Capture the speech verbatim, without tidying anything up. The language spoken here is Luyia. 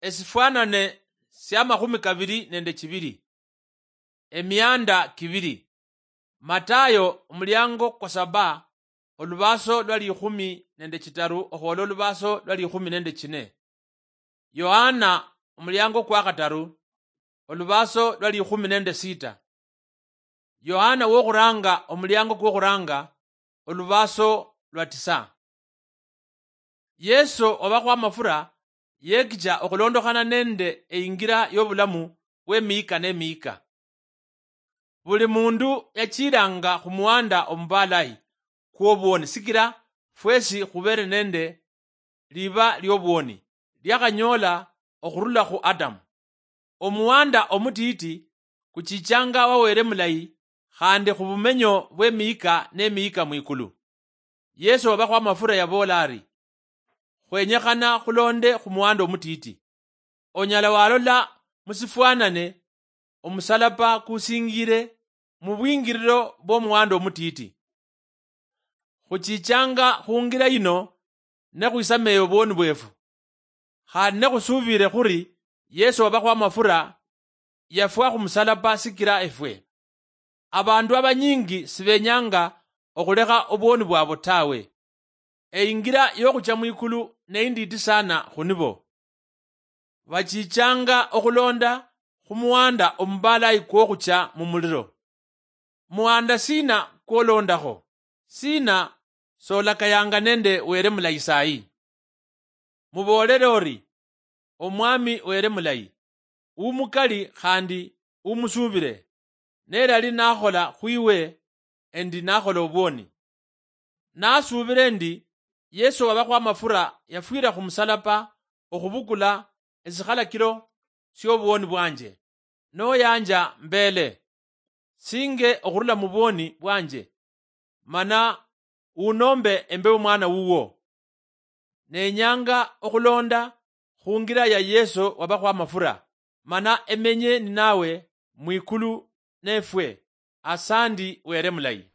esifwanane siamakhumi kabiri nende chibiri. Emianda kibiri. Matayo omuliango kwa saba, olubaaso lwa likhumi nende chitaru okhwola olubaaso lwa likhumi nende chine. Yohana omuliango kwa khataru, olubaaso lwa likhumi nende sita. Yohana wokhuranga omuliango kwokhuranga, olubaaso lwa tisa. Yesu obakhwa amafura yekicha okhulondokhana nende eingira yobulamu bwemiyika nemiyika. Buli mundu yachilanga khumuwanda omubalayi kwobwoni sikila fwesi khubere nende liba liobwoni liakhanyoola okhurula khu Adamu. Omuwanda omutiti kuchichanga wa Wele mulayi khandi khubumenyo bwemiyika nemiyika mwikulu. Yesu wabakhwa amafura yaboola ari, khwenyekhana khulonde khumuwanda omutiti. Onyala walola musifwanane omusalaba kusingire mubwingiriro bwomuwanda omutiti. Khuchichanga khungira yino nekhwisameeye obwoni bwefu. Khandi nekhusuubire khuri Yesu wabakhwa amafura yafwa khumusalaba sikira efwe. Abandu abanyingi sibenyanga okhulekha obwoni bwabo tawe. Eingira yokhucha mwikulu neindiiti sana khunibo. Bachichanga okhulonda khumuwanda omubalayi kwokhucha mumuliro. Muwanda sina kwolondakho? Sina solakayanga nende Wele mulayi sayi? Muboolere ori, Omwami Wele mulayi, umukali khandi umusuubire, nelali nakhola khwiwe endi nakhola obwoni. Nasuubire endi Yesu wabakhwa amafura yafwira khumusalaba okhubukula esikhalakiro siobwoni bwanje, noyanja mbele singe okhurula mubwoni bwanje, mana unombe embe omwana wuwo. Nenyanga okhulonda khungira ya Yesu wabakhwa amafura, mana emenye ninawe mwikulu nefwe. Asandi Wele mulayi.